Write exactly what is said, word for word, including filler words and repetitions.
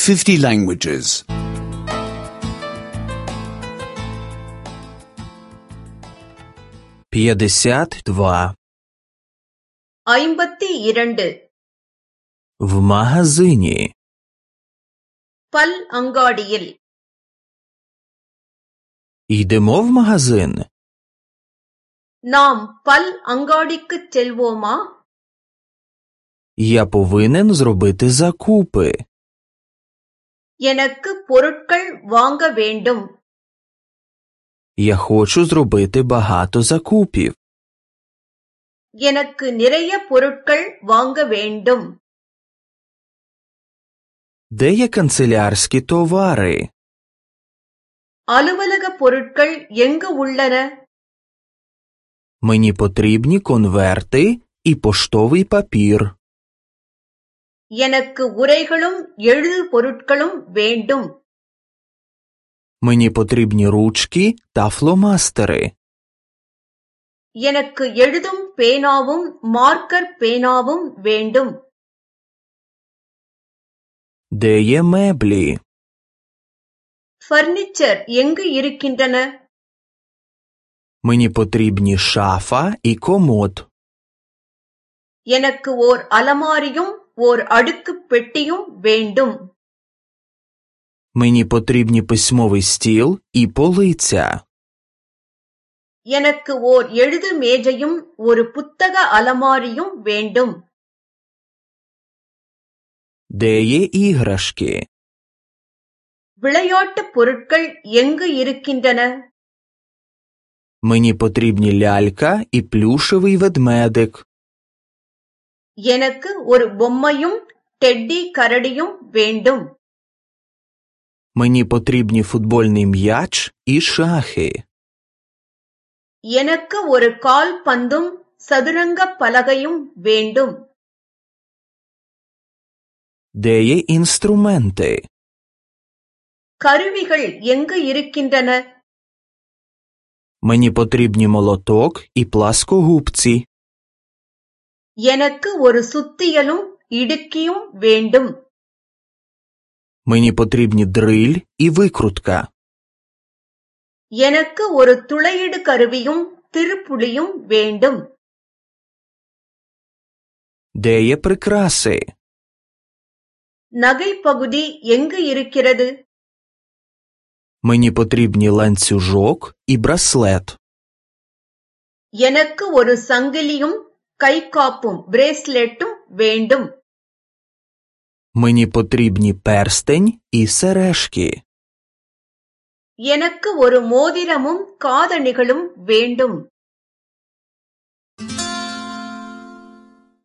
fifty languages. пятьдесят два. ஐம்பத்தி இரண்டு. В магазине. பல் அங்காடியில். Йдемо в магазин. நாம் பல் அங்காடிக்குச் செல்வோமா? Я повинен зробити закупи. எனக்கு பொருட்கள் வாங்க வேண்டும். Я хочу зробити багато закупів. எனக்கு நிறைய பொருட்கள் வாங்க வேண்டும். Де є канцелярські товари? அலுவலக பொருட்கள் எங்கு உள்ளன? Мені потрібні конверти і поштовий папір. எனக்கு உரைகளும் எழுது பொருட்களும் வேண்டும். Мені потрібні ручки та фломастери. எனக்கு எழுதும் பேனாவும் மார்க்கர் பேனாவும் வேண்டும். Де є меблі? ஃபர்னிச்சர் எங்கு இருக்கின்றன? Мені потрібні шафа і комод. எனக்கு ஓர் அலமாரியும் ஓர் அடுக்குப் பெட்டியும் வேண்டும். Мені потрібні письмовий стіл і полиця. எனக்கு ஓர் எழுது மேஜையும் ஒரு புத்தக அலமாரியும் வேண்டும். Де є іграшки? விளையாட்டுப் பொருட்கள் எங்கு இருக்கின்றன? Мені потрібні лялька і плюшевий ведмедик. எனக்கு ஒரு பொம்மையும் டெட்டி கரடியும் வேண்டும். Мені потрібні футбольний м'яч і шахи. எனக்கு ஒரு கால் பந்தும் சதுரங்கப் பலகையும் வேண்டும். Де є інструменти? கருவிகள் எங்கு இருக்கின்றன? Мені потрібні молоток і пласкогубці. எனக்கு ஒரு சுத்தியலும் இடுக்கியும் வேண்டும். Мені потрібні дриль і викрутка. எனக்கு ஒரு துளையிடு கருவியும் திருப்புளியும் வேண்டும். Де є прикраси? நகைப்பகுதி எங்கு இருக்கிறது? Мені потрібні ланцюжок і браслет. எனக்கு ஒரு சங்கிலியும் கைக்காப்பும் பிரேஸ்லெட்டும் வேண்டும். Мені потрібні перстень і сережки. எனக்கு ஒரு மோதிரமும் காதணிகளும் வேண்டும்.